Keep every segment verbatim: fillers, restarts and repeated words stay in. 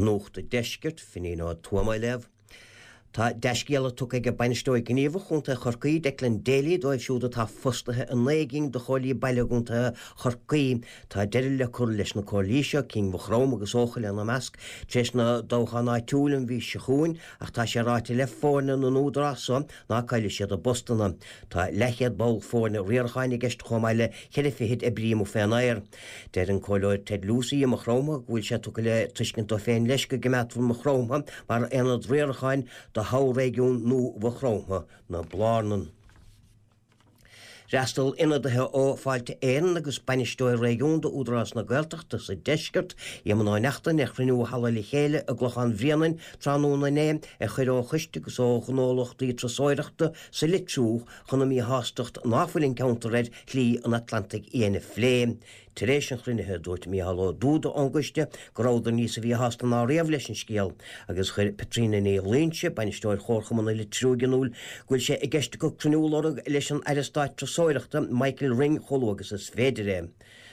Nuacht an Deiscirt, Finín Ó Tuama á léamh. Tá dea-scéala tugtha ag Bainisteoir Gníomhach Chontae Chorcaí, Declan Daly, dóibh siúd atá fostaithe i naoi gcinn de chomhairlí baile i gContae Chorcaí. Tá deireadh le cur leis na comhairlí seo, cinn Mhaigh Chromtha agus Eochaill ina measc, tar éis na dtoghchán áitiúil an mhí seo chugainn, ach tá sé ráite le foirne na n-údarás so ná caillfidh siad a bpostanna. Tá leathchéad ball foirne riaracháin i gceist chomh maith le ceithre fichid oibrí amuigh fén aer. Deir an Comhairleoir Ted Lucey i Maigh Chromtha go bhfuil sé tugtha le tuiscint dó féin leis go gcoimeádfar Maigh Chromtha mar aonad riaracháin do thoghréigiún nua Mhaigh Chromtha na Blarnan. D'fhreastail ionadaithe ó Fáilte Éireann agus Bainisteoir Réigiúnda Údarás na Gaeltachta sa Deisceart, Éamonn Ó Neachtain, ar chruinniú i Halla Le Chéile i gClochán Bhréanainn tráthnóna inné ar chuireadh ó choiste agus ó ghnólachtaí turasóireachta sa Litriú chun a míshástacht ná fuil an ceantar ar Shlí an Atlantaigh Fhiáin a phlé. Tar éis an chruinnithe, dúirt Mícheál Ó Dúda ón gcoiste go rabhadar níos a mhíshásta ná riamh leis an scéal agus chuir Petrina Ní Loingsigh, bainisteoir Chomharchumann an Litriúigh in iúl go bhfuil sé i gceist acu cruinniú a lorg leis an Aire Stáit Turasóireachta Michael Ring chomh luath agus is féidir é.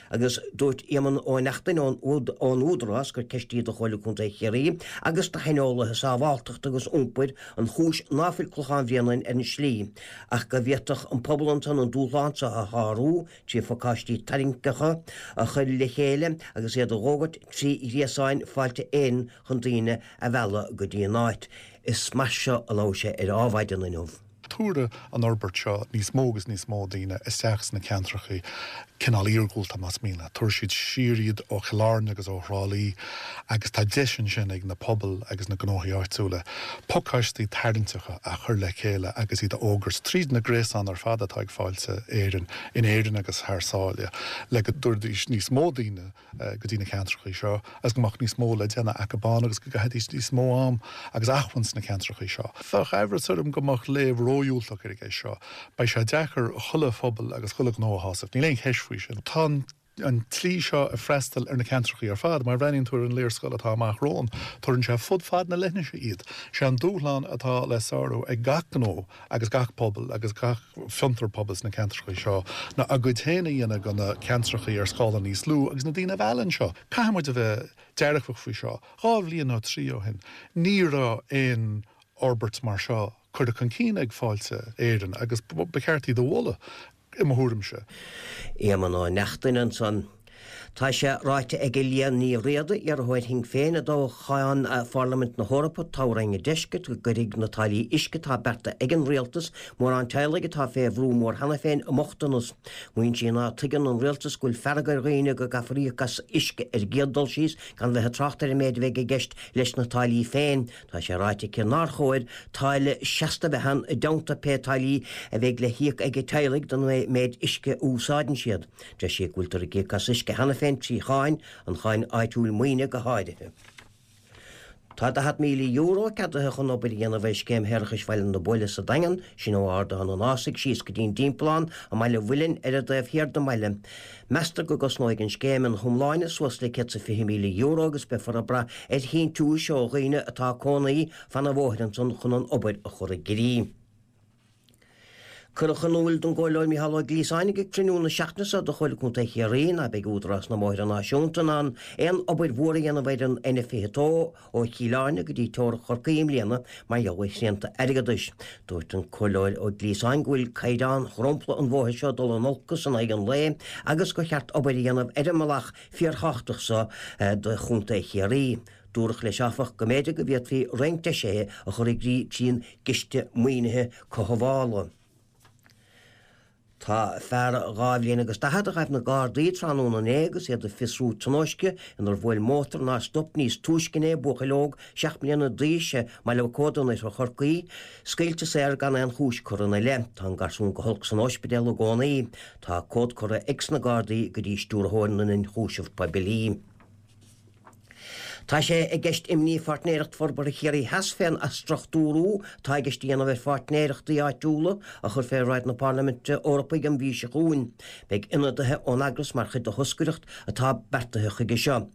Agus dúirt Éamonn Ó Neachtain ón ón Údarás gur ceist í do Chomhairle Contae Chiarraí agus do shaineolaithe sábháilteachta agus iompair an chúis ná fuil Clochán Bhréanainn ar an slí ach go bhféadfadh an pobal ansan an dúshlán seo a shárú trí phacáistí tarraingteacha a chur le chéile agus iad a fhógairt trí ghréasáin Fáilte Éireann chun daoine a mhealladh go dtí an áit. Is mar seo a labhair sé ar Adhmhaidin inniu. Tabharfaidh an fhorbairt seo níos mó agus níos mó daoine isteach sna ceantracha cineál iargúlta más mian leat. Tabharfaidh siad siar iad ó Chill Airne agus ó Thrá Lí agus tá deis ansin ag na pobail agus na gnóthaí áitiúla pacáistí tarraingteacha a chur le chéile agus iad a fhógairt tríd na gréasáin ar fad atá ag Fáilte Éireann in Éirinn agus thar sáile le go dtabharfaidís níos mó daoine go dtí na ceantracha seo agus go mbeadh níos mó le déanamh acu ann agus go gcaithfidís níos mó am agus acmhainn sna ceantracha seo. Bheadh amhras orm go mbeadh léamh ródhiúltach ar an gceist seo. Beidh sé deacair chuile phobal agus chuile ghnó a shásamh. Níl aon cheist faoi sin. Tá an tslí seo ag freastal ar na ceantracha ar fad, mar bhreathnaíonn tú ar an léarscáil atá amach romhainn, tabharann sé fud fad na leithinse iad. Sé an dúshlán atá le sárú ag gach gnó agus gach pobal agus gach fiontar pobail sna ceantracha seo ná a gcuid féin a dhéanamh de na ceantracha ar scála níos lú agus na daoine a mhealladh anseo. Caithfidh muid a bheith dearfach faoi seo. Dhá bhliain nó trí ó shin, ní raibh aon fhorbairt mar seo curtha chun cinn ag Fáilte Éireann agus ba cheart iad a mholadh i mo thuairimse. Éamonn Ó Neachtain ansan. Tá sé ráite ag Liadh Ní Riada, iarrthóir Shinn Féin i dtoghchán Pharlaimint na hEorpa, toghroinn an Deiscirt, go gcuirfidh na táillí uisce atá beartaithe ag an rialtas mórán teaghlaigh atá fé bhrú mór cheana féin i mbochtanas. Maíonn sí ná tuigeann an rialtas go bhfuil fearg ar dhaoine go gcaithfear íoc as uisce ar an gcéad dul síos gan bheith ag trácht ar an méid a bheidh i gceist leis na táillí féin. Tá sé ráite aici nár chóir táille seasta a bheith ann i dteannta pé táillí a bheidh le híoc ag teaghlaigh don méid uisce a úsáideann siad. Deir sí go bhfuiltear ag íoc as uisce cheana féin trí cháin, an cháin áitiúil maoine go háirithe. Tá daichead míle euro ceadaithe chun obair a dhéanamh ar scéim shéarachais Bhaile na Buaile sa Daingean, sin ó Ardán an Ásaigh síos go dtí an Dtimpeallán i mBaile Mhuilinn ar an dtaobh thiar den mbaile. Meastar go gcosnóidh an scéim ina hiomláine suas le céad 's a fiche míle euro agus beifear ag brath ar shíntiúis ó dhaoine atá ag cónaí fan an bhóthair ansan chun an obair a chur i gcrích. Cuireadh in iúl don gComhairleoir Mícheál Ó Gliasáin ag cruinniú na seachtaine seo de Chomhairle Contae Chiarraí ná beidh Údarás na mBóithre Náisiúnta in ann aon obair mhór a dhéanamh ar an N fiche dó ó Chill Airne go dtí teorainn Chorcaí i mbliana mar gheall ar shrianta airgeadais. Dúirt an Comhairleoir Ó Gliasáin go bhfuil caighdeán dhromchla an bhóthair seo ag dul in olcas in aghaidh an lae agus gur cheart obair a dhéanamh ar an mbealach fíorthábhachtach seo do Chontae Chiarraí. Dúradh leis áfach go mb'fhéidir go bhféadfaí roinnt deisithe a chur i gcrích trín gciste maoinithe cothabhála. Tá fear dhá bhliain agus daichead a ghaibh na Gardaí tráthnóna inné agus iad ag fiosrú tionóisce inar bhuail mótar nár stop níos túisce inné buachaill óg seacht mbliana d'aois i mBaile Mhic Óda in oirthear Chorcaí, scaoilte saor gan aon chúis curtha ina leith. Tá an garsún go holc san ospidéal i gcónaí. Tá comhad curtha ag sna Gardaí go dtí Stiúrthóir na nIonchúiseamh Poiblí. Tá sé i gceist imní Pháirtnéireacht Forbartha Chiarraí Theas fén athstruchtúrú atá i gceist a dhéanamh ar pháirtnéireachtaí áitiúla a chur fé bhráid na Parlaiminte Eorpaí an mhí seo chugainn. Beidh ionadaithe ón eagras mar chuid de thoscaireacht atá beartaithe chuige seo.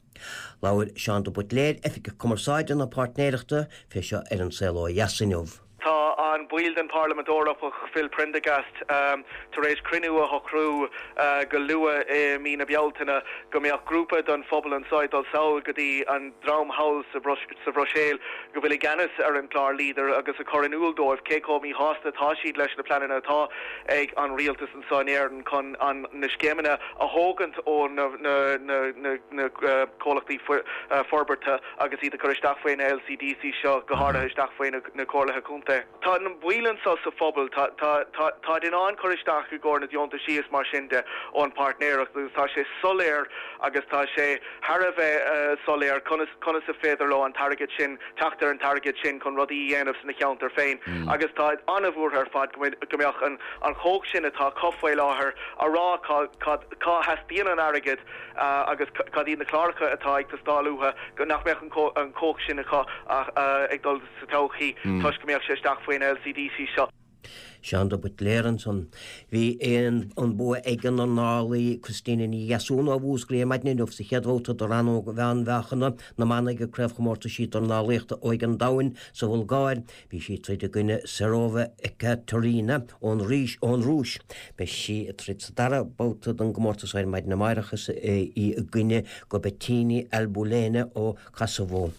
Labhair Seán de Buitléir, Oifigeach Cumarsáide na Páirtnéireachta, fé seo ar An Saol Ó Dheas inniu. Tá an ball den Parlaimint Eorpach Phil Prendergast um, tar éis cruinniú a shocrú uh, go luath i mí na Bealtaine go mbeadh grúpa den phobal anseo ag dul sall go dtí an dream thall sa sa Bhruiséil go bhfuil i gceannas ar an clár Leader agus a chur in iúl dóibh cé chomh míshásta atá siad leis na pleananna atá ag an rialtas anseo in Éirinn chun an na scéimeanna a thógaint ó na, na, na, na, na uh, comhlachtaí uh, forbartha agus iad a chur isteach faoi na LCDC seo go háirithe isteach faoi na, na comhairlí contae. Tá an baill anseo sa phobal tá in ann cur isteach i gcomhair na deontaisí is mar sin de ón páirtnéireacht agus tá sé soiléir agus tá sé thar a bheith uh, soiléir conas conas is féidir leo an t-airgead sin teacht ar an t-airgead sin chun rudaí a dhéanamh sna ceantar féin mm. agus tá an-bhuartha ar fad go mbeadh an an chumhacht sin atá acu faoi láthair a rá cá theastaíonn an airgead uh, agus cad iad na cláracha atá ag teastáil uathu go nach mbeadh an chumhacht sin acu uh, ag dul sa todhchaí mm. toisc go mbeadh sé isteach faoin LCDC seo. Seán de Buitléar ansan. Bhí an an bua ag an dornálaí Christina Ní Dheasún ó Mhúscraí ar maidin inniu sa chéad bhabhta de rannóg mheánmheáchana na mban ag Craobhchomórtaisí Dornálaíochta Óige an Domhain sa Bhulgáir. Bhí sí ag troid i gcoinne Serova Ekaterina ón Rís ón Rúis. Beidh sí ag troid sa dara babhta den gcomórtas ar maidin amárach is í i gcoinne Gobetini Albulena ó Kosovo.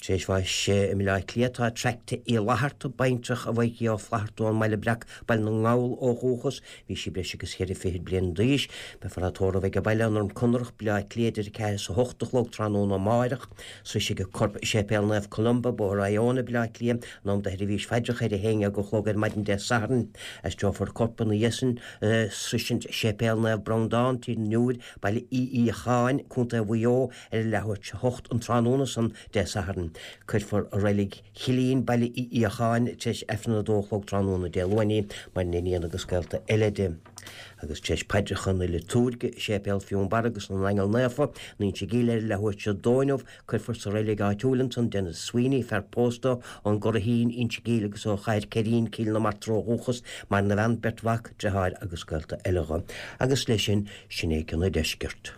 Tar éis bháis i mBaile Átha Cliath tá Tracta Uí Fhlatharta, baintreach a Mhaidhcí Ó Flatharta ón mBaile Breac Baile na nGall ó dhúchas, bhí sí breis agus cheithre fichid bliain d'aois. Beifear á tórramh ag an baile i nDroim Conrach, Baile Átha Cliath idir a ceathair is a hocht a chlog tráthnóna amáireach. Sroisfidh a corp Séipéal Naomh Columba, Bóthar Iona, Baile Átha Cliath, in am do sheirbhís phaidreacha ar a haon déag a chlog ar maidin Dé Sathairn. Aistreofar a corp ina dhiaidh sin sroisint Séipéal Naomh Breandán, Tír an Iúir, Baile Uí Fhiacháin, Contae Mhaigh Eo, ar a leathuair tar éis a hocht an tráthnóna san Dé Sathairn. Cuirfear i Reilig Chillín, Baile Uí Fhiacháin, tar éis Aifreann a dó a chlog tráthnóna Dé Luain í, maireann iníon agus gaolta eile di. Agus tar éis paidreacha na liotúirge i Séipéal Fionnbarra agus na nAingeal Naofa, in Inse Gall ar a leathuair tar éis a dó inniu, cuirfear sa reilig áitiúil ansan Denis Sweeney, fear pósta ón gCurraichín, Inse Gall agus ó Chathair Ceirín, Cill na Martra ó dhúchas, maireann a bhean, beirt mhac, deartháir agus gaolta eile dho. Agus leis sin, sin é cionn an deiscirt.